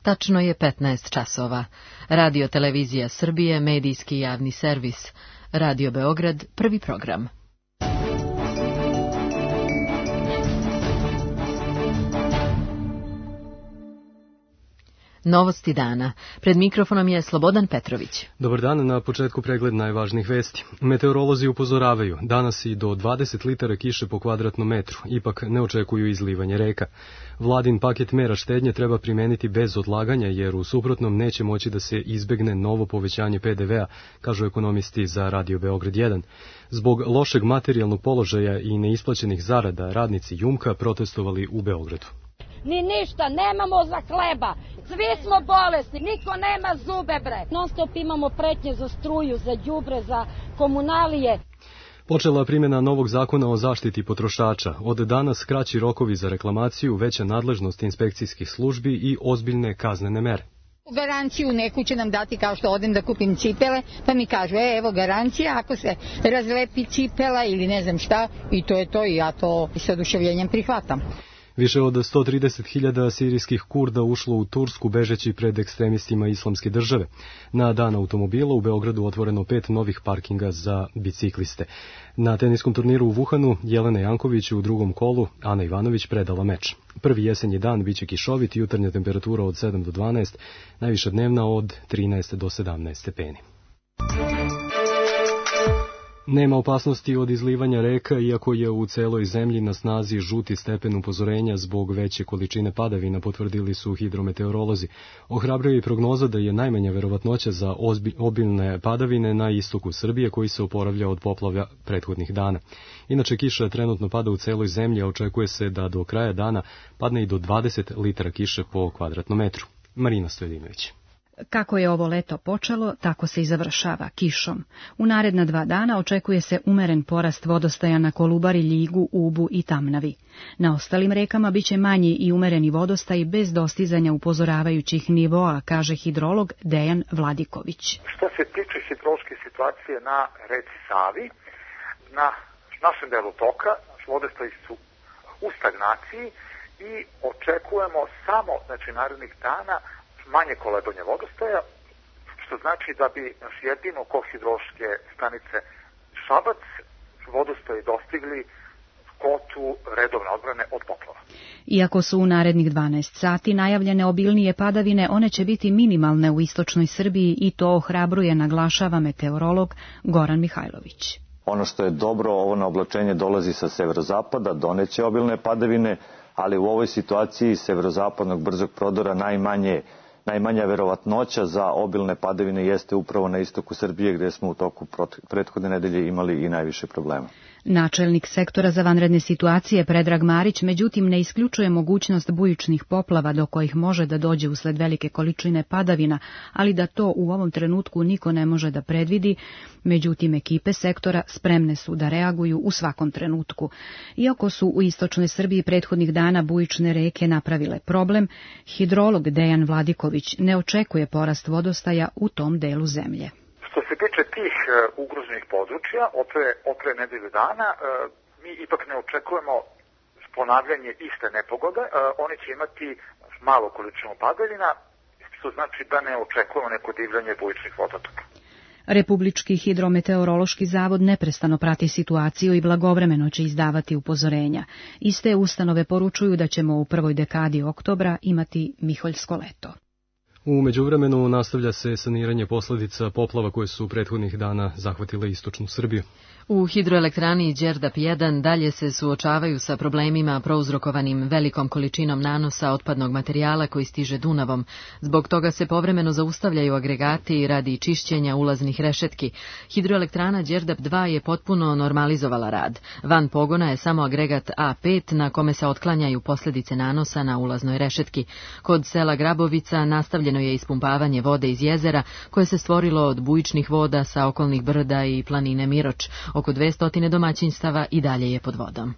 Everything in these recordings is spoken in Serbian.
Tačno je 15 časova. Radio Televizija Srbije, medijski javni servis. Radio Beograd, prvi program. Novosti dana. Pred mikrofonom je Slobodan Petrović. Dobar dan, na početku pregled najvažnijih vesti. Meteorolozi upozoravaju, danas i do 20 litara kiše po kvadratnom metru, ipak ne očekuju izlivanje reka. Vladin paket mera štednje treba primeniti bez odlaganja, jer u suprotnom neće moći da se izbegne novo povećanje PDV-a, kažu ekonomisti za Radio Beograd 1. Zbog lošeg materijalnog položaja i neisplaćenih zarada, radnici Jumka protestovali u Beogradu. Ni ništa, nemamo za hleba, svi smo bolesni, niko nema zube bre. Non stop imamo pretnje za struju, za đubre, za komunalije. Počela primjena novog zakona o zaštiti potrošača. Od danas kraći rokovi za reklamaciju, veća nadležnost inspekcijskih službi i ozbiljne kaznene mere. Garanciju neku će nam dati kao što odem da kupim cipele, pa mi kažu, evo garancija, ako se razlepi cipela ili ne znam šta, i to je to i ja to s oduševljenjem prihvatam. Više od 130.000 sirijskih Kurda ušlo u Tursku bežeći pred ekstremistima Islamske države. Na dan automobila u Beogradu otvoreno 5 novih parkinga za bicikliste. Na teniskom turniru u Wuhanu Jelena Janković u drugom kolu, Ana Ivanović predala meč. Prvi jesenji dan biće kišovit, jutarnja temperatura od 7 do 12, najviša dnevna od 13 do 17 stepeni. Nema opasnosti od izlivanja reka, iako je u celoj zemlji na snazi žuti stepen upozorenja zbog veće količine padavina, potvrdili su hidrometeorolozi. Ohrabruje i prognoza da je najmanja verovatnoća za obilne padavine na istoku Srbije, koji se oporavlja od poplava prethodnih dana. Inače, kiša trenutno pada u celoj zemlji, a očekuje se da do kraja dana padne i do 20 litara kiše po kvadratnom metru. Marina Stojedinović. Kako je ovo leto počelo, tako se i završava, kišom. U naredna 2 dana očekuje se umeren porast vodostaja na Kolubari, Ljigu, Ubu i Tamnavi. Na ostalim rekama biće manji i umereni vodostaj bez dostizanja upozoravajućih nivoa, kaže hidrolog Dejan Vladiković. Što se tiče hidrološke situacije na reci Savi, na našem delu toka vodostaji su u stagnaciji i očekujemo samo, narednih dana, manje kolebanje vodostaja, što znači da bi jedino kod hidrološke stanice Šabac vodostaji dostigli kvotu redovne odbrane od poplava. Iako su u narednih 12 sati najavljene obilnije padavine, one će biti minimalne u istočnoj Srbiji i to ohrabruje, naglašava meteorolog Goran Mihajlović. Ono što je dobro, ovo naoblačenje dolazi sa severozapada, doneće obilne padavine, ali u ovoj situaciji severozapadnog brzog prodora najmanja verovatnoća za obilne padavine jeste upravo na istoku Srbije, gdje smo u toku prethodne nedelje imali i najviše problema. Načelnik sektora za vanredne situacije Predrag Marić međutim ne isključuje mogućnost bujičnih poplava do kojih može da dođe usled velike količine padavina, ali da to u ovom trenutku niko ne može da predvidi. Međutim, ekipe sektora spremne su da reaguju u svakom trenutku. Iako su u istočnoj Srbiji prethodnih dana bujične reke napravile problem, hidrolog Dejan Vladiković ne očekuje porast vodostaja u tom delu zemlje. Što se tiče tih ugroženih područja, od pre nedelju dana, mi ipak ne očekujemo ponavljanje iste nepogode. Oni će imati malo količinu padavina, što znači da ne očekujemo neko divljanje bujičnih vodotoka. Republički hidrometeorološki zavod neprestano prati situaciju i blagovremeno će izdavati upozorenja. Iste ustanove poručuju da ćemo u prvoj dekadi oktobra imati miholjsko leto. U međuvremenu nastavlja se saniranje posljedica poplava koje su prethodnih dana zahvatile istočnu Srbiju. U hidroelektrani Đerdap 1 dalje se suočavaju sa problemima prouzrokovanim velikom količinom nanosa otpadnog materijala koji stiže Dunavom. Zbog toga se povremeno zaustavljaju agregati radi čišćenja ulaznih rešetki. Hidroelektrana Đerdap 2 je potpuno normalizovala rad. Van pogona je samo agregat A5 na kome se otklanjaju posljedice nanosa na ulaznoj rešetki. Kod sela Grabovica nastavljeno je ispumpavanje vode iz jezera koje se stvorilo od bujičnih voda sa okolnih brda i planine Miroč. Oko 200 domaćinstava i dalje je pod vodom.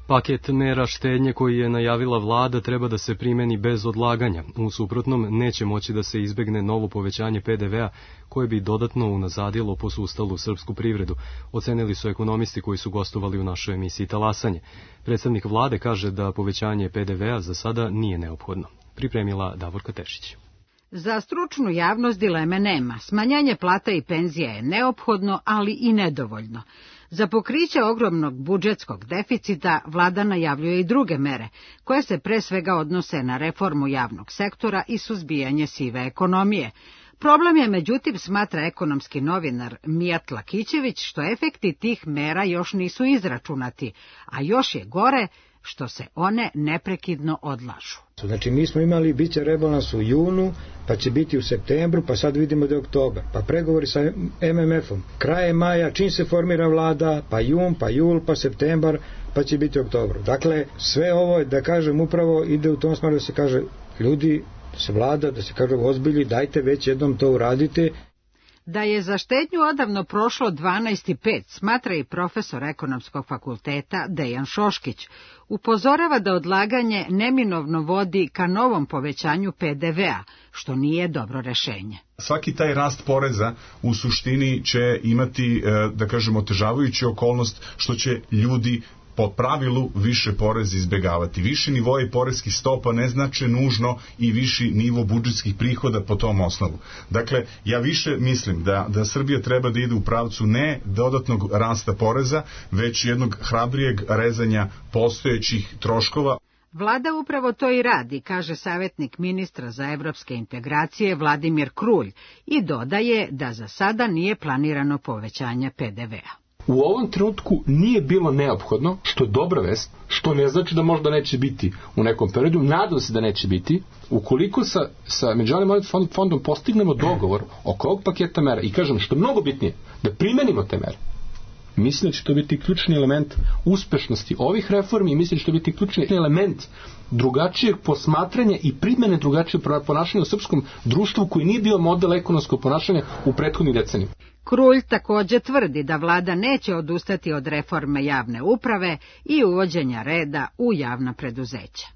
Paket mera štednje koji je najavila vlada treba da se primeni bez odlaganja. U suprotnom neće moći da se izbegne novo povećanje PDV-a koje bi dodatno unazadilo posustalu srpsku privredu, ocenili su ekonomisti koji su gostovali u našoj emisiji Talasanje. Predstavnik vlade kaže da povećanje PDV-a za sada nije neophodno. Pripremila Davorka Tešić. Za stručnu javnost dileme nema. Smanjanje plata i penzija je neophodno, ali i nedovoljno. Za pokriće ogromnog budžetskog deficita vlada najavljuje i druge mere, koje se pre svega odnose na reformu javnog sektora i suzbijanje sive ekonomije. Problem je, međutim, smatra ekonomski novinar Mijat Lakićević, što efekti tih mera još nisu izračunati, a još je gore što se one neprekidno odlažu. Znači mi smo imali, bit će rebalans u junu, pa će biti u septembru, pa sad vidimo da je oktobar, pa pregovori sa MMF-om. Kraje maja, čim se formira vlada, pa jun, pa jul, pa septembar, pa će biti oktobar. Dakle, sve ovo, da kažem, upravo ide u tom smeru da se kaže, ljudi, da se vlada, da se kaže ozbilji, dajte već jednom to uradite. Da je za štednju odavno prošlo 12,5, smatra i profesor ekonomskog fakulteta Dejan Šoškić. Upozorava da odlaganje neminovno vodi ka novom povećanju PDV-a, što nije dobro rešenje. Svaki taj rast poreza u suštini će imati, da kažemo, otežavajuću okolnost što će ljudi po pravilu više porez izbegavati. Viši nivoji poreskih stopa ne znače nužno i viši nivo budžetskih prihoda po tom osnovu. Dakle, ja više mislim da Srbija treba da ide u pravcu ne dodatnog rasta poreza, već jednog hrabrijeg rezanja postojećih troškova. Vlada upravo to i radi, kaže savjetnik ministra za evropske integracije Vladimir Krulj i dodaje da za sada nije planirano povećanje PDV-a. U ovom trenutku nije bilo neophodno, što je dobra vest, što ne znači da možda neće biti u nekom periodu, nadam se da neće biti, ukoliko sa Međunarodnim monetarnim fondom postignemo dogovor oko ovog paketa mera i kažem što je mnogo bitnije, da primenimo te mere. Mislim da će to biti ključni element uspešnosti ovih reformi i mislim da će to biti ključni element drugačijeg posmatranja i primjene drugačijeg ponašanja u srpskom društvu koji nije bio model ekonomskog ponašanja u prethodnih decenijama. Krulj također tvrdi da vlada neće odustati od reforme javne uprave i uvođenja reda u javna preduzeća.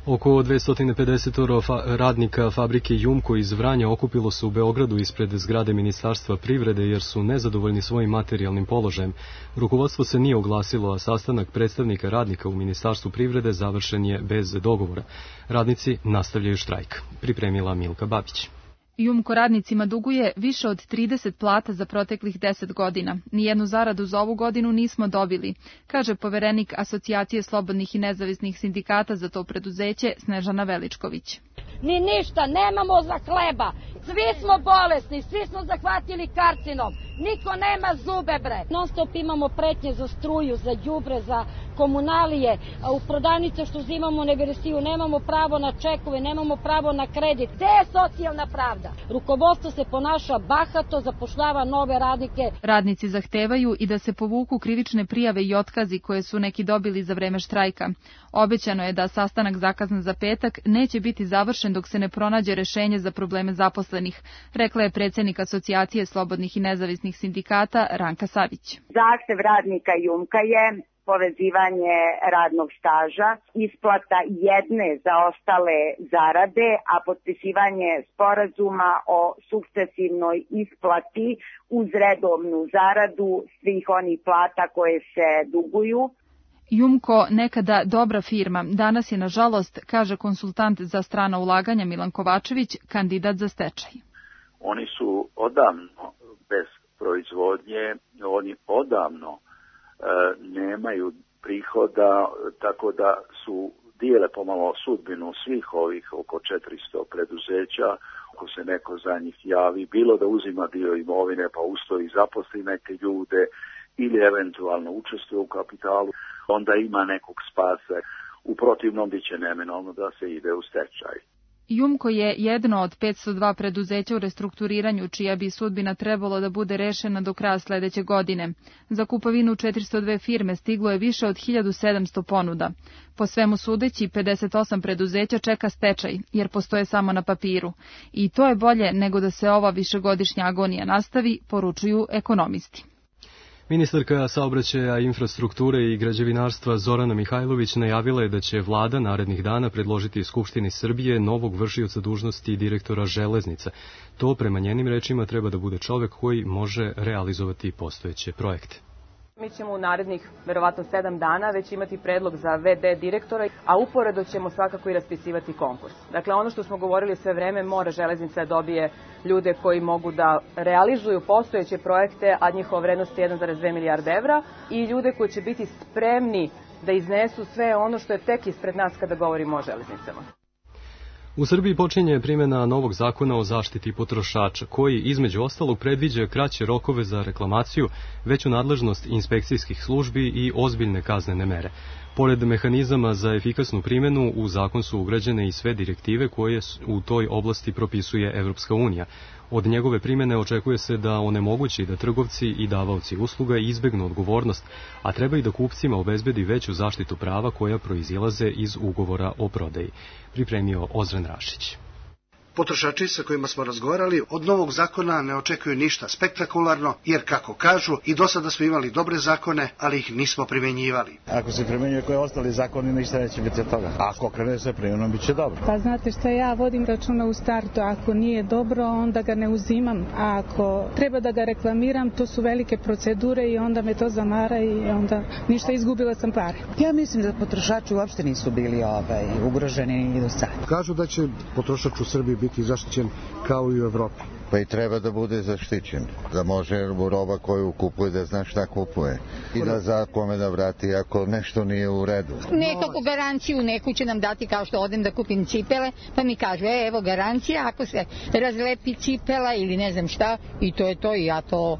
Oko 250 radnika fabrike Jumko iz Vranja okupilo se u Beogradu ispred zgrade Ministarstva privrede jer su nezadovoljni svojim materijalnim položajem. Rukovodstvo se nije oglasilo, a sastanak predstavnika radnika u Ministarstvu privrede završen je bez dogovora. Radnici nastavljaju štrajk. Pripremila Milka Babić. Jumko radnicima duguje više od 30 plata za proteklih 10 godina. Nijednu zaradu za ovu godinu nismo dobili, kaže poverenik Asocijacije slobodnih i nezavisnih sindikata za to preduzeće Snežana Veličković. Ni ništa, nemamo za hleba, svi smo bolesni, svi smo zahvatili karcinom, niko nema zube bre. Non stop imamo pretnje za struju, za đubre, za komunalije, a u prodavnice što uzimamo neversiju, nemamo pravo na čekove, nemamo pravo na kredit. Gde je socijalna pravda? Rukovodstvo se ponaša bahato, zapošljava nove radnike. Radnici zahtevaju i da se povuku krivične prijave i otkazi koje su neki dobili za vreme štrajka. Obećano je da sastanak zakazan za petak neće biti završen dok se ne pronađe rešenje za probleme zaposlenih, rekla je predsjednik Asocijacije slobodnih i nezavisnih sindikata Ranka Savić. Zahtev radnika Jumka je povezivanje radnog staža, isplata jedne zaostale zarade, a potpisivanje sporazuma o sukcesivnoj isplati uz redovnu zaradu svih onih plata koje se duguju. Jumko, nekada dobra firma, danas je nažalost, kaže konsultant za strana ulaganja Milan Kovačević, kandidat za stečaj. Oni su odavno bez proizvodnje, oni odavno nemaju prihoda, tako da su dijele pomalo sudbinu svih ovih oko 400 preduzeća. Ako se neko za njih javi, bilo da uzima dio imovine pa ustoji zaposli neke ljude ili eventualno učestvuje u kapitalu, onda ima nekog spasa. U protivnom bit će neminovno da se ide u stečaj. Jumko je jedno od 502 preduzeća u restrukturiranju, čija bi sudbina trebalo da bude rešena do kraja sledeće godine. Za kupovinu 402 firme stiglo je više od 1700 ponuda. Po svemu sudeći, 58 preduzeća čeka stečaj, jer postoje samo na papiru. I to je bolje nego da se ova višegodišnja agonija nastavi, poručuju ekonomisti. Ministarka saobraćaja, infrastrukture i građevinarstva Zorana Mihajlović najavila je da će vlada narednih dana predložiti Skupštini Srbije novog vršioca dužnosti direktora železnica. To, prema njenim rečima, treba da bude čovek koji može realizovati postojeće projekte. Mi ćemo u narednih, verovatno 7 dana, već imati predlog za VD direktora, a uporedo ćemo svakako i raspisivati konkurs. Dakle, ono što smo govorili sve vreme, mora železnica da dobije ljude koji mogu da realizuju postojeće projekte, a njihova vrednost je 1,2 milijarde evra, i ljude koji će biti spremni da iznesu sve ono što je tek ispred nas kada govorimo o železnicama. U Srbiji počinje primjena novog zakona o zaštiti potrošača, koji između ostalog predviđa kraće rokove za reklamaciju, veću nadležnost inspekcijskih službi i ozbiljne kaznene mere. Pored mehanizama za efikasnu primjenu, u zakon su ugrađene i sve direktive koje u toj oblasti propisuje Evropska unija. Od njegove primjene očekuje se da onemogući da trgovci i davaoci usluga izbegnu odgovornost, a treba i da kupcima obezbedi veću zaštitu prava koja proizilaze iz ugovora o prodaji. Pripremio Ozren Rašić. Potrošači sa kojima smo razgovarali od novog zakona ne očekuju ništa spektakularno, jer kako kažu, i do sada smo imali dobre zakone, ali ih nismo primenjivali. Ako se primenjuje koji ostali zakoni, ništa neće biti od toga. Ako krene sve primjenom, bit će dobro. Pa znate šta, ja vodim računa u startu, ako nije dobro, onda ga ne uzimam, a ako treba da ga reklamiram, to su velike procedure i onda me to zamara i onda ništa, izgubila sam pare. Ja mislim da potrošači uopšte nisu bili ugroženi ni do sada. Kažu da će potrošač u Srbiji biti zaštićen kao i u Evropi. Pa i treba da bude zaštićen, da može roba koju kupuje da zna šta kupuje i da zna kome da vrati ako nešto nije u redu. Nekako garanciju neku će nam dati, kao što odem da kupim cipele, pa mi kažu, evo garancija, ako se razlepi cipela ili ne znam šta, i to je to, i ja to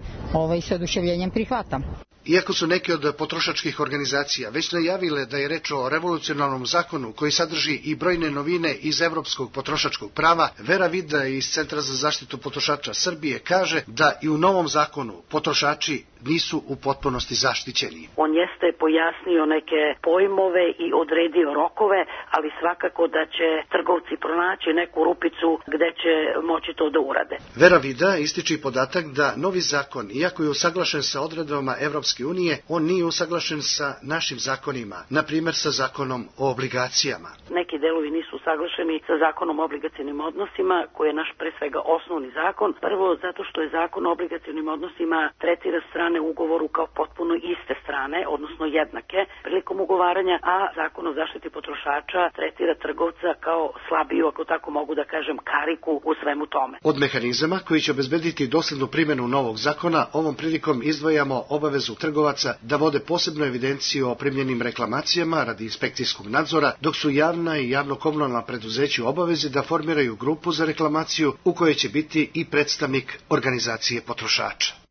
s oduševljenjem prihvatam. Iako su neke od potrošačkih organizacija već najavile da je reč o revolucionarnom zakonu koji sadrži i brojne novine iz evropskog potrošačkog prava, Vera Vida iz Centra za zaštitu potrošača Srbije kaže da i u novom zakonu potrošači nisu u potpunosti zaštićeni. On jeste pojasnio neke pojmove i odredio rokove, ali svakako da će trgovci pronaći neku rupicu gde će moći to da urade. Vera Vida ističe podatak da novi zakon, iako je usaglašen sa odredbama Evropske unije, on nije usaglašen sa našim zakonima, na primjer sa zakonom o obligacijama. Neki delovi nisu usaglašeni sa zakonom o obligacionim odnosima, koji je naš pre svega osnovni zakon. Prvo, zato što je zakon o obligacionim odnosima tretira strane u ugovoru kao potpuno iste strane, odnosno jednake prilikom ugovaranja, a zakon o zaštiti potrošača tretira trgovca kao slabiju, ako tako mogu da kažem, kariku u svemu tome. Od mehanizama koji će obezbediti doslednu primjenu novog zakona, ovom prilikom izdvajamo obavezu trgovaca da vode posebnu evidenciju o primljenim reklamacijama radi inspekcijskog nadzora, dok su javna i javno-komunalna preduzeća u obavezi da formiraju grupu za reklamaciju u kojoj će biti i predstavnik organizacije potrošača.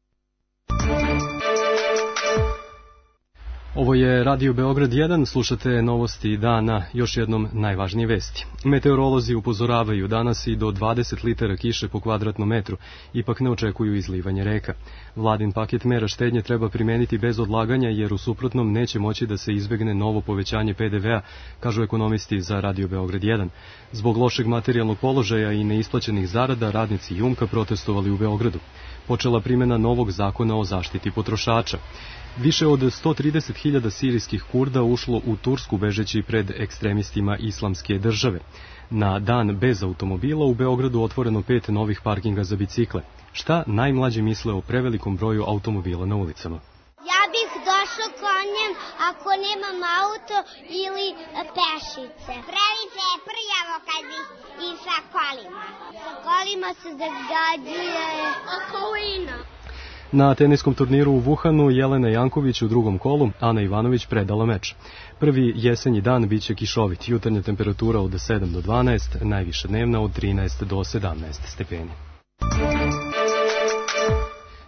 Ovo je Radio Beograd 1, slušate novosti dana, još jednom najvažnije vesti. Meteorolozi upozoravaju danas i do 20 litara kiše po kvadratnom metru, ipak ne očekuju izlivanje reka. Vladin paket mera štednje treba primeniti bez odlaganja, jer u suprotnom neće moći da se izbegne novo povećanje PDV-a, kažu ekonomisti za Radio Beograd 1. Zbog lošeg materijalnog položaja i neisplaćenih zarada, radnici Jumka protestovali u Beogradu. Počela primjena novog zakona o zaštiti potrošača. Više od 130.000 sirijskih Kurda ušlo u Tursku bežeći pred ekstremistima Islamske države. Na dan bez automobila u Beogradu otvoreno 5 novih parkinga za bicikle. Šta najmlađi misle o prevelikom broju automobila na ulicama? Ja bih došao konjem ako nemam auto ili pešice. Previše je prljavo kad bi i sa kolima. Sa kolima se zagađuje okolina. Na teniskom turniru u Wuhanu Jelena Janković u drugom kolu, Ana Ivanović predala meč. Prvi jesenji dan biće kišovit, jutarnja temperatura od 7 do 12, najviša dnevna od 13 do 17 stepeni.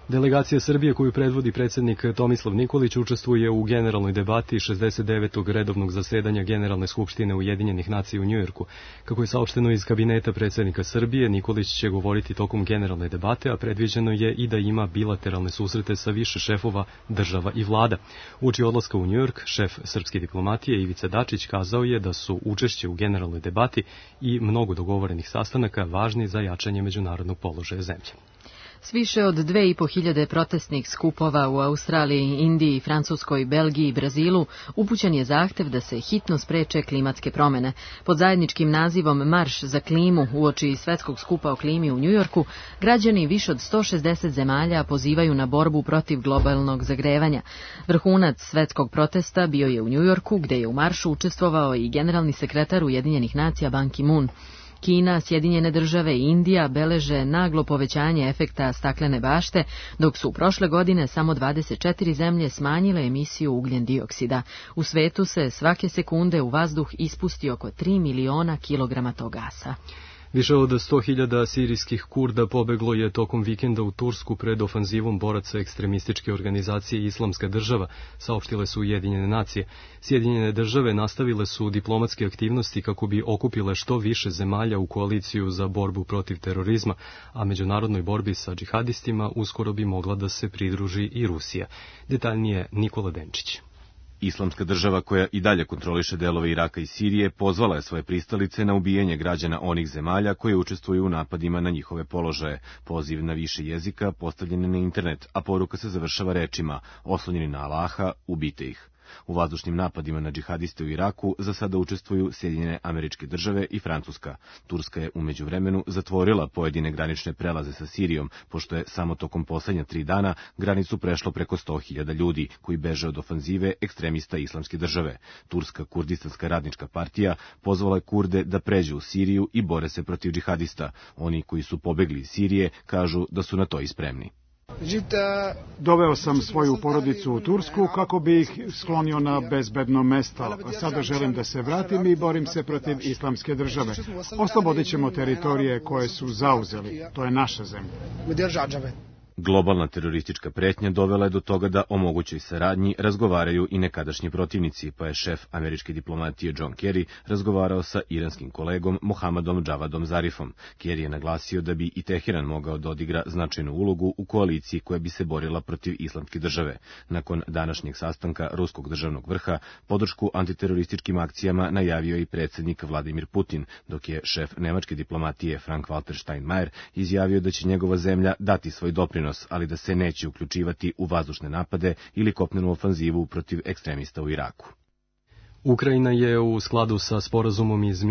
Delegacija Srbije koju predvodi predsjednik Tomislav Nikolić učestvuje u generalnoj debati 69. redovnog zasedanja Generalne skupštine Ujedinjenih nacija u Njujorku. Kako je saopšteno iz kabineta predsjednika Srbije, Nikolić će govoriti tokom generalne debate, a predviđeno je i da ima bilateralne susrete sa više šefova država i vlada. Uoči odlaska u Njujork, šef srpske diplomatije Ivica Dačić kazao je da su učešće u generalnoj debati i mnogo dogovorenih sastanaka važni za jačanje međunarodnog položaja zemlje. S više od 2500 protestnih skupova u Australiji, Indiji, Francuskoj, Belgiji i Brazilu upućen je zahtev da se hitno spreče klimatske promene. Pod zajedničkim nazivom Marš za klimu uoči svetskog skupa o klimi u Njujorku, građani više od 160 zemalja pozivaju na borbu protiv globalnog zagrevanja. Vrhunac svetskog protesta bio je u Njujorku, gde je u maršu učestvovao i generalni sekretar Ujedinjenih nacija Ban Ki-moon. Kina, Sjedinjene države i Indija beleže naglo povećanje efekta staklene bašte, dok su prošle godine samo 24 zemlje smanjile emisiju ugljen dioksida. U svetu se svake sekunde u vazduh ispusti oko 3 miliona kilograma tog gasa. Više od 100.000 sirijskih Kurda pobeglo je tokom vikenda u Tursku pred ofanzivom boraca ekstremističke organizacije Islamska država, saopštile su Ujedinjene nacije. Sjedinjene države nastavile su diplomatske aktivnosti kako bi okupile što više zemalja u koaliciju za borbu protiv terorizma, a međunarodnoj borbi sa džihadistima uskoro bi mogla da se pridruži i Rusija. Detaljnije Nikola Denčić. Islamska država, koja i dalje kontroliše delove Iraka i Sirije, pozvala je svoje pristalice na ubijanje građana onih zemalja koje učestvuju u napadima na njihove položaje. Poziv na više jezika postavljen je na internet, a poruka se završava rečima: oslonjeni na Allaha, ubijte ih. U vazdušnim napadima na džihadiste u Iraku za sada učestvuju Sjedinjene Američke države i Francuska. Turska je u međuvremenu zatvorila pojedine granične prelaze sa Sirijom, pošto je samo tokom poslednja 3 dana granicu prešlo preko 100.000 ljudi koji beže od ofanzive ekstremista Islamske države. Turska Kurdistanska radnička partija pozvala je Kurde da pređu u Siriju i bore se protiv džihadista. Oni koji su pobegli iz Sirije kažu da su na to i spremni. Doveo sam svoju porodicu u Tursku kako bi ih sklonio na bezbedno mesto. Sada želim da se vratim i borim se protiv Islamske države. Oslobodit ćemo teritorije koje su zauzeli. To je naša zemlja. Globalna teroristička pretnja dovela je do toga da o mogućoj saradnji razgovaraju i nekadašnji protivnici, pa je šef američke diplomatije John Kerry razgovarao sa iranskim kolegom Mohammadom Javadom Zarifom. Kerry je naglasio da bi i Teheran mogao da odigra značajnu ulogu u koaliciji koja bi se borila protiv Islamske države. Nakon današnjeg sastanka ruskog državnog vrha, podršku antiterorističkim akcijama najavio i predsjednik Vladimir Putin, dok je šef nemačke diplomatije Frank-Walter Steinmeier izjavio da će njegova zemlja dati svoj doprinos, ali da se neće uključivati u vazdušne napade ili kopnenu ofanzivu protiv ekstremista u Iraku. Ukrajina je u skladu sa sporazumom iz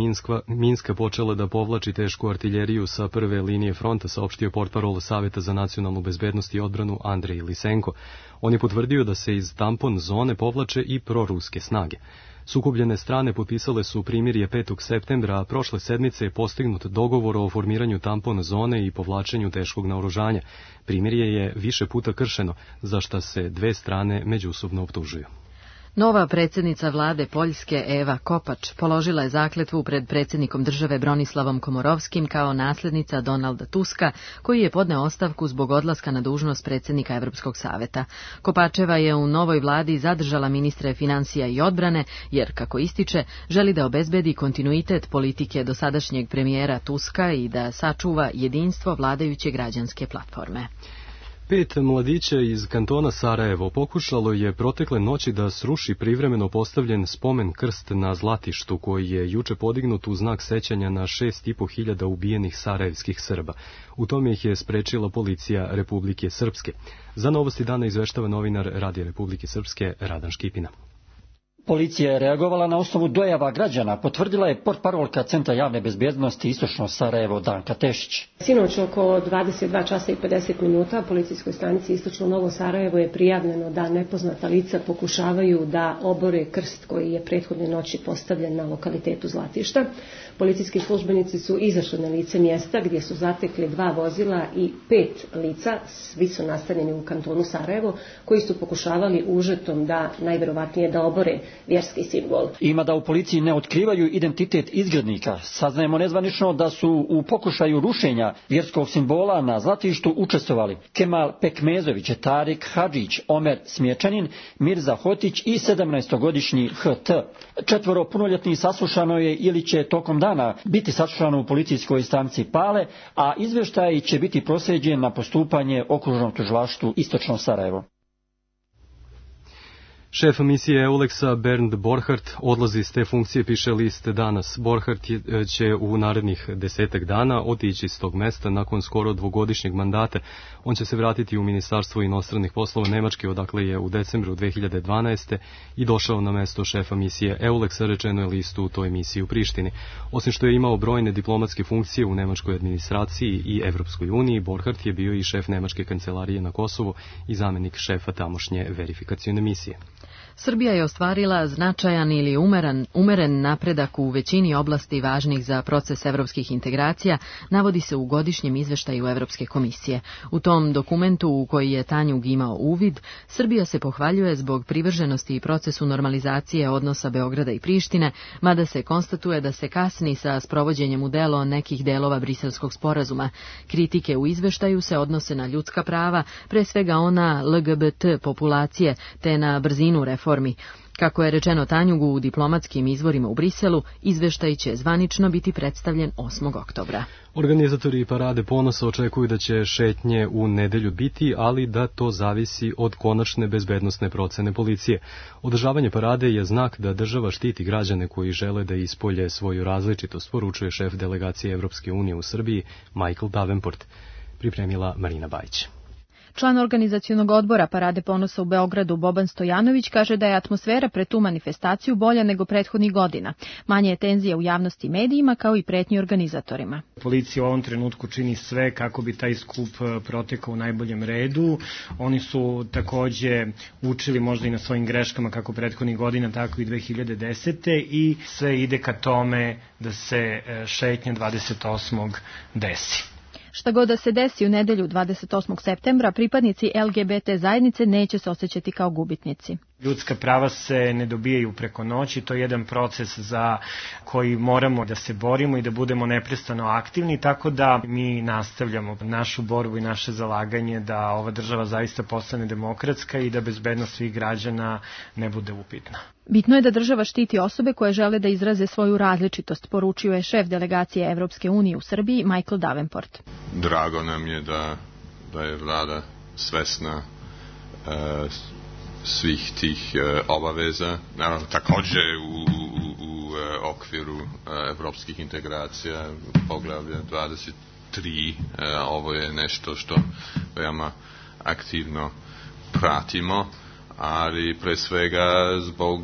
Minska počela da povlači tešku artiljeriju sa prve linije fronta, saopštio portparol Saveta za nacionalnu bezbednost i odbranu Andrej Lisenko. On je potvrdio da se iz tampon zone povlače i proruske snage. Sukobljene strane potpisale su primirje 5. septembra, a prošle sedmice je postignut dogovor o formiranju tampon zone i povlačenju teškog naoružanja. Primirje je više puta kršeno, za šta se dve strane međusobno optužuju. Nova predsjednica vlade Poljske Eva Kopač položila je zakletvu pred predsjednikom države Bronislavom Komorovskim kao naslednica Donalda Tuska, koji je podneo ostavku zbog odlaska na dužnost predsjednika Evropskog saveta. Kopačeva je u novoj vladi zadržala ministre financija i odbrane, jer, kako ističe, želi da obezbedi kontinuitet politike dosadašnjeg premijera Tuska i da sačuva jedinstvo vladajuće građanske platforme. 5 mladića iz kantona Sarajevo pokušalo je protekle noći da sruši privremeno postavljen spomen krst na Zlatištu, koji je juče podignut u znak sećanja na 6.500 ubijenih sarajevskih Srba. U tome ih je sprečila policija Republike Srpske. Za Novosti dana izveštava novinar Radija Republike Srpske Radan Škipina. Policija je reagovala na osnovu dojava građana, potvrdila je portparolka Centra javne bezbjednosti Istočno Sarajevo Danka Tešić. Sinoć oko 22 časa i 50 minuta policijskoj stanici Istočno Novo Sarajevo je prijavljeno da nepoznata lica pokušavaju da obore krst koji je prethodne noći postavljen na lokalitetu Zlatišta. Policijski službenici su izašli na lice mjesta gdje su zatekli 2 vozila i 5 lica, svi su nastanjeni u kantonu Sarajevo, koji su pokušavali užetom da najverovatnije da obore vjerski simbol. Ima da u policiji ne otkrivaju identitet izgrednika. Saznajemo nezvanično da su u pokušaju rušenja vjerskog simbola na Zlatištu učestvovali Kemal Pekmezović, Tarik Hadžić, Omer Smječanin, Mirza Hotić i 17-godišnji HT. 4 punoljetnih saslušano je ili će tokom dana biti saslušano u policijskoj stanici Pale, a izvještaj će biti proslijeđen na postupanje Okružnom tužilaštvu Istočno Sarajevo. Šef misije EULEX-a Bernd Borchardt odlazi s te funkcije, piše list danas. Borchardt će u narednih 10 dana otići s tog mesta nakon skoro dvogodišnjeg mandata. On će se vratiti u Ministarstvo inostranih poslova Nemačke, odakle je u decembru 2012. i došao na mesto šefa misije EULEX-a, rečeno je listu u toj misiji u Prištini. Osim što je imao brojne diplomatske funkcije u nemačkoj administraciji i Evropskoj uniji, Borchardt je bio i šef nemačke kancelarije na Kosovu i zamjenik šefa tamošnje verifikacione misije. Srbija je ostvarila značajan ili umeren napredak u većini oblasti važnih za proces evropskih integracija, navodi se u godišnjem izveštaju Evropske komisije. U tom dokumentu u koji je Tanjug imao uvid, Srbija se pohvaljuje zbog privrženosti i procesu normalizacije odnosa Beograda i Prištine, mada se konstatuje da se kasni sa sprovođenjem u delo nekih delova Briselskog sporazuma. Kritike u izveštaju se odnose na ljudska prava, pre svega ona LGBT populacije, te na brzinu reformi. Kako je rečeno Tanjugu u diplomatskim izvorima u Briselu, izveštaj će zvanično biti predstavljen 8. oktobra. Organizatori Parade ponosa očekuju da će šetnje u nedelju biti, ali da to zavisi od konačne bezbednosne procene policije. Održavanje parade je znak da država štiti građane koji žele da ispolje svoju različitost, poručuje šef delegacije Evropske unije u Srbiji Michael Davenport. Pripremila Marina Bajić. Član organizacionog odbora Parade ponosa u Beogradu Boban Stojanović kaže da je atmosfera pred tu manifestaciju bolja nego prethodnih godina. Manje je tenzija u javnosti i medijima, kao i pretnji organizatorima. Policija u ovom trenutku čini sve kako bi taj skup protekao u najboljem redu. Oni su takođe učili možda i na svojim greškama kako prethodnih godina, tako i 2010. i sve ide ka tome da se šetnja 28. desi. Šta god da se desi u nedelju 28. septembra, pripadnici LGBT zajednice neće se osjećati kao gubitnici. Ljudska prava se ne dobijaju preko noći, to je jedan proces za koji moramo da se borimo i da budemo neprestano aktivni, tako da mi nastavljamo našu borbu i naše zalaganje da ova država zaista postane demokratska i da bezbednost svih građana ne bude upitna. Bitno je da država štiti osobe koje žele da izraze svoju različitost, poručio je šef delegacije Evropske unije u Srbiji Michael Davenport. Drago nam je da je vlada svesna svih tih obaveza. Naravno, takođe u okviru evropskih integracija, poglavlja 23, ovo je nešto što veoma aktivno pratimo, ali pre svega zbog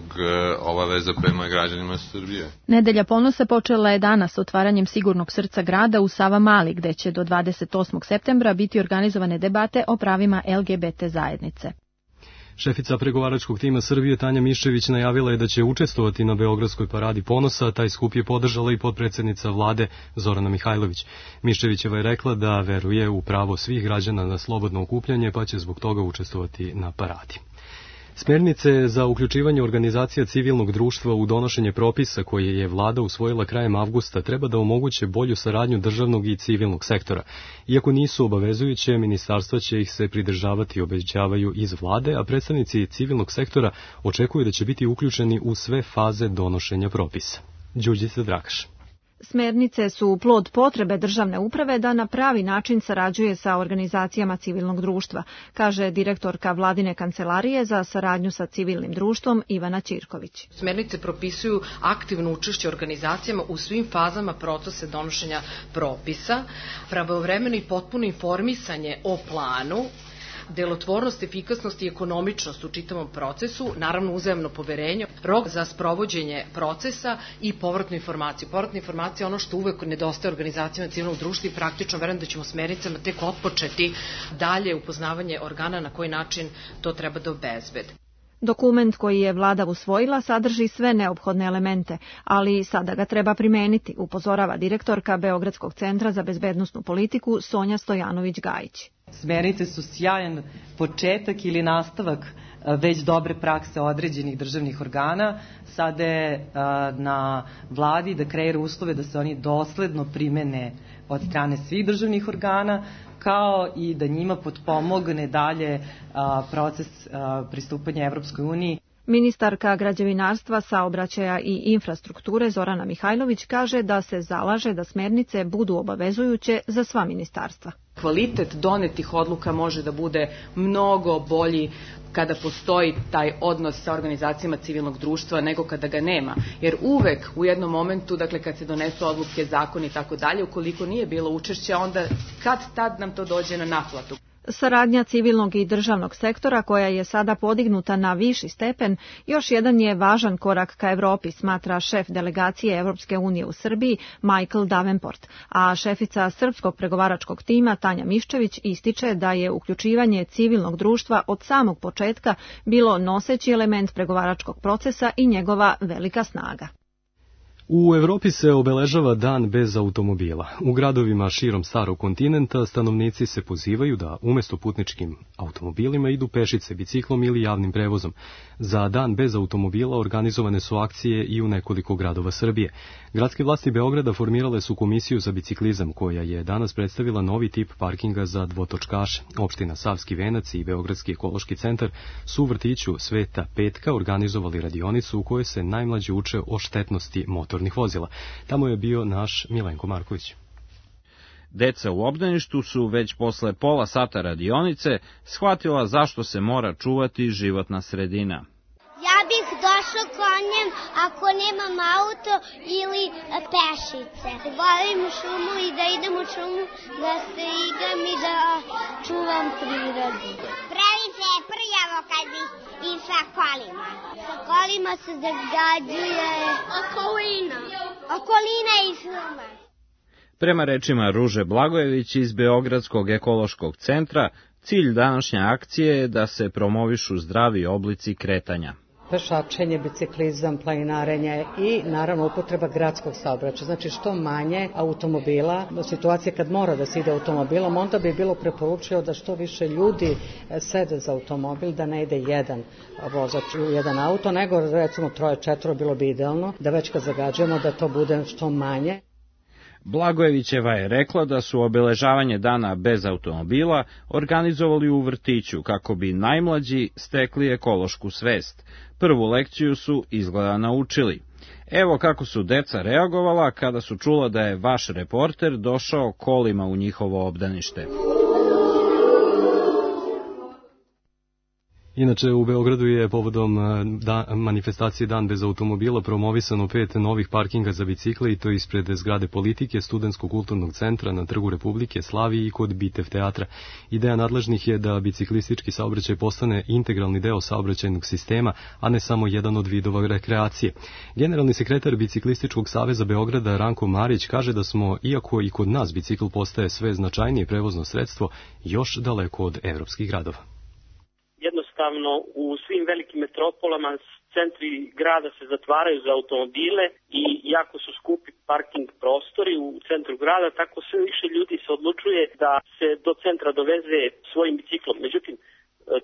obaveza prema građanima Srbije. Nedelja ponosa počela je danas otvaranjem Sigurnog srca grada u Savamali, gde će do 28. septembra biti organizovane debate o pravima LGBT zajednice. Šefica pregovaračkog tima Srbije Tanja Miščević najavila je da će učestvovati na Beogradskoj paradi ponosa, taj skup je podržala i potpredsednica vlade Zorana Mihajlović. Miščevićeva je rekla da veruje u pravo svih građana na slobodno okupljanje, pa će zbog toga učestvovati na paradi. Smernice za uključivanje organizacija civilnog društva u donošenje propisa koje je vlada usvojila krajem avgusta treba da omoguće bolju saradnju državnog i civilnog sektora. Iako nisu obavezujuće, ministarstva će ih se pridržavati, obećavaju iz vlade, a predstavnici civilnog sektora očekuju da će biti uključeni u sve faze donošenja propisa. Đurđica Drakaš. Smernice su plod potrebe državne uprave da na pravi način sarađuje sa organizacijama civilnog društva, kaže direktorka vladine kancelarije za saradnju sa civilnim društvom Ivana Ćirković. Smernice propisuju aktivno učešće organizacijama u svim fazama procesa donošenja propisa, pravovremeno i potpuno informisanje o planu, delotvornost, efikasnost i ekonomičnost u čitavom procesu, naravno uzajamno poverenje, rok za sprovođenje procesa i povratnu informaciju. Povratna informacija je ono što uvek nedostaje organizacijama civilnog društva i praktično verujem da ćemo smernicama tek otpočeti dalje upoznavanje organa na koji način to treba da obezbede. Dokument koji je vlada usvojila sadrži sve neophodne elemente, ali sada ga treba primeniti, upozorava direktorka Beogradskog centra za bezbednosnu politiku Sonja Stojanović-Gajić. Smernice su sjajan početak ili nastavak već dobre prakse određenih državnih organa. Sada je na vladi da kreira uslove da se oni dosledno primene od strane svih državnih organa, kao i da njima potpomogne dalje proces pristupanja Evropskoj uniji. Ministarka građevinarstva, saobraćaja i infrastrukture Zorana Mihajlović kaže da se zalaže da smernice budu obavezujuće za sva ministarstva. Kvalitet donetih odluka može da bude mnogo bolji kada postoji taj odnos sa organizacijama civilnog društva nego kada ga nema. Jer uvek u jednom momentu, dakle kad se donesu odluke, zakoni i tako dalje, ukoliko nije bilo učešća, onda kad tad nam to dođe na naplatu. Saradnja civilnog i državnog sektora, koja je sada podignuta na viši stepen, još jedan je važan korak ka Evropi, smatra šef delegacije Evropske unije u Srbiji Michael Davenport, a šefica srpskog pregovaračkog tima Tanja Miščević ističe da je uključivanje civilnog društva od samog početka bilo noseći element pregovaračkog procesa i njegova velika snaga. U Evropi se obeležava dan bez automobila. U gradovima širom starog kontinenta stanovnici se pozivaju da umjesto putničkim automobilima idu pešice, biciklom ili javnim prevozom. Za dan bez automobila organizovane su akcije i u nekoliko gradova Srbije. Gradske vlasti Beograda formirale su komisiju za biciklizam, koja je danas predstavila novi tip parkinga za dvotočkaše. Opština Savski Venac i Beogradski ekološki centar su u vrtiću Sveta Petka organizovali radionicu u kojoj se najmlađi uče o štetnosti motornih vozila. Tamo je bio naš Milenko Marković. Deca u obdaništu su već posle pola sata radionice shvatila zašto se mora čuvati životna sredina. Ja bih došao konjem ako nemam auto ili pešice. Volim šumu i da idem u šumu, da se igram i da čuvam prirodu. Previše je prljavo kad bi i sa kolima. Sa kolima se zagađuje okolina i šuma. Prema rečima Ruže Blagojević iz Beogradskog ekološkog centra, cilj današnje akcije je da se promovišu zdravi oblici kretanja. Pešačenje, biciklizam, planinarenje i naravno upotreba gradskog saobraćaja. Znači što manje automobila, do situacije kad mora da se ide automobilom, onda bi bilo preporučio da što više ljudi sede za automobil, da ne ide jedan vozač u jedan auto, nego recimo 3-4 bilo bi idealno, da već kad zagađujemo da to bude što manje. Blagojevićeva je rekla da su obeležavanje dana bez automobila organizovali u vrtiću kako bi najmlađi stekli ekološku svest. Prvu lekciju su izgleda naučili. Evo kako su deca reagovala kada su čula da je vaš reporter došao kolima u njihovo obdanište. Inače, u Beogradu je povodom manifestacije Dan bez automobila promovisano 5 novih parkinga za bicikle, i to ispred zgrade Politike, Studentskog kulturnog centra, na Trgu Republike, Slaviji i kod Bitev teatra. Ideja nadležnih je da biciklistički saobraćaj postane integralni deo saobraćajnog sistema, a ne samo jedan od vidova rekreacije. Generalni sekretar Biciklističkog saveza Beograda Ranko Marić kaže da smo, iako i kod nas bicikl postaje sve značajnije prevozno sredstvo, još daleko od evropskih gradova. Jednostavno, u svim velikim metropolama centri grada se zatvaraju za automobile i jako su skupi parking prostori u centru grada, tako sve više ljudi se odlučuje da se do centra doveze svojim biciklom. Međutim,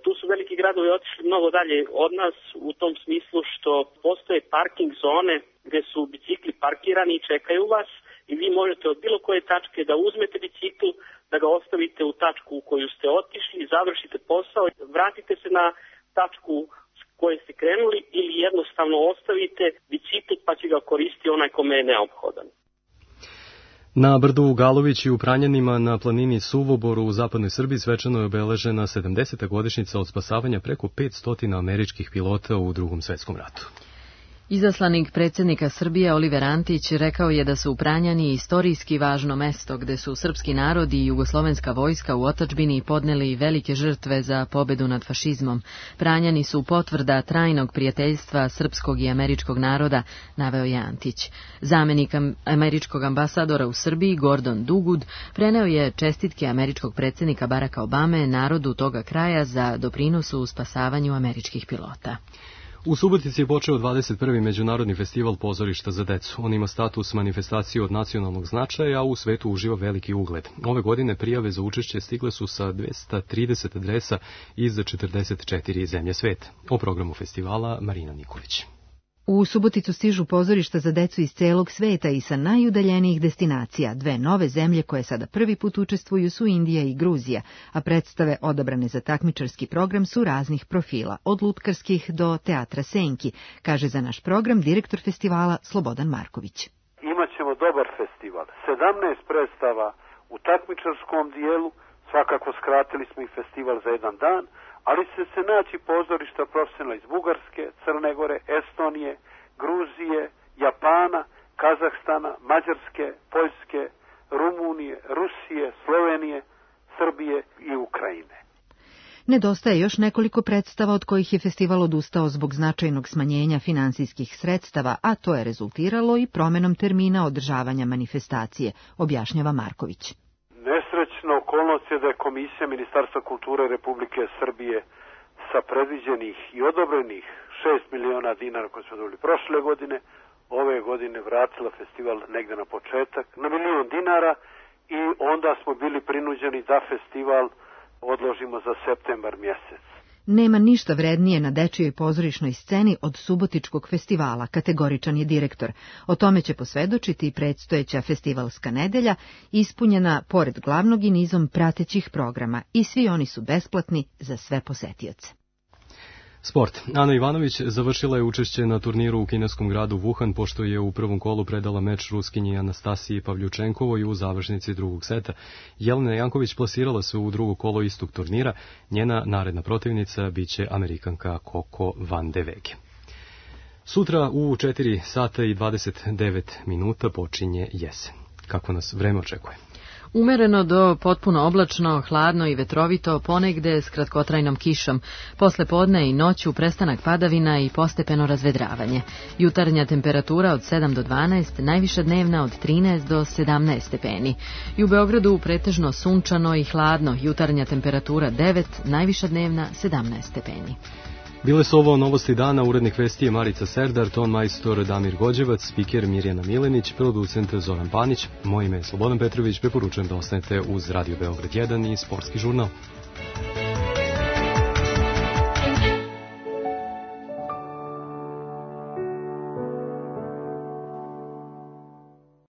tu su veliki gradovi otišli mnogo dalje od nas u tom smislu što postoje parking zone gde su bicikli parkirani i čekaju vas i vi možete od bilo koje tačke da uzmete bicikl, da ga ostavite u tačku u koju ste otišli, završite posao, vratite se na tačku s koje ste krenuli ili jednostavno ostavite bicikl pa će ga koristiti onaj kome je neophodan. Na brdu u Galović i u Pranjanima na planini Suvoboru u zapadnoj Srbiji svečano je obeležena 70. godišnjica od spasavanja preko 500 američkih pilota u Drugom svetskom ratu. Izaslanik predsjednika Srbije Oliver Antić rekao je da su Pranjani istorijski važno mesto gde su srpski narod i jugoslovenska vojska u otadžbini podneli velike žrtve za pobedu nad fašizmom. Pranjani su potvrda trajnog prijateljstva srpskog i američkog naroda, naveo je Antić. Zamenik američkog ambasadora u Srbiji Gordon Dugud preneo je čestitke američkog predsjednika Baracka Obame narodu toga kraja za doprinosu u spasavanju američkih pilota. U Subotici je počeo 21. Međunarodni festival pozorišta za decu. On ima status manifestacije od nacionalnog značaja, a u svetu uživa veliki ugled. Ove godine prijave za učešće stigle su sa 230 adresa iz 44 zemlje sveta. O programu festivala Marina Nikolić. U Suboticu stižu pozorišta za decu iz celog sveta i sa najudaljenijih destinacija. 2 nove zemlje koje sada prvi put učestvuju su Indija i Gruzija, a predstave odabrane za takmičarski program su raznih profila, od lutkarskih do teatra Senki, kaže za naš program direktor festivala Slobodan Marković. Imaćemo dobar festival, 17 predstava u takmičarskom dijelu, svakako skratili smo i festival za jedan dan, ali će se naći pozorišta profesionalna iz Bugarske, Crne Gore, Estonije, Gruzije, Japana, Kazahstana, Mađarske, Poljske, Rumunije, Rusije, Slovenije, Srbije i Ukrajine. Nedostaje još nekoliko predstava od kojih je festival odustao zbog značajnog smanjenja finansijskih sredstava, a to je rezultiralo i promenom termina održavanja manifestacije, objašnjava Marković. Nesrećna okolnost je da je Komisija Ministarstva kulture Republike Srbije sa predviđenih i odobrenih 6 miliona dinara koje smo dobili prošle godine, ove godine vratila festival negde na početak na 1 milion dinara i onda smo bili prinuđeni da festival odložimo za septembar mjesec. Nema ništa vrednije na dečijoj pozorišnoj sceni od Subotičkog festivala, kategoričan je direktor. O tome će posvedočiti i predstojeća festivalska nedelja, ispunjena pored glavnog i nizom pratećih programa, i svi oni su besplatni za sve posetioce. Sport. Ana Ivanović završila je učešće na turniru u kineskom gradu Wuhan, pošto je u prvom kolu predala meč Ruskinji Anastasiji Pavljučenkovoj u završnici drugog seta. Jelena Janković plasirala se u drugo kolo istog turnira. Njena naredna protivnica biće Amerikanka Coco van de Wege. Sutra u 4 sata i 29 minuta počinje jesen. Kako nas vreme očekuje? Umereno do potpuno oblačno, hladno i vetrovito, ponegde s kratkotrajnom kišom. Posle podne i noću prestanak padavina i postepeno razvedravanje. Jutarnja temperatura od 7 do 12, najviša dnevna od 13 do 17 stepeni. I u Beogradu pretežno sunčano i hladno, jutarnja temperatura 9, najviša dnevna 17 stepeni. Bile su ovo novosti dana, urednik vesti je Marica Serdar, ton majstor Damir Gođevac, spiker Mirjana Milenić, producent Zoran Panić. Moje ime je Slobodan Petrović, preporučujem da ostanete uz Radio Beograd 1 i Sportski žurnal.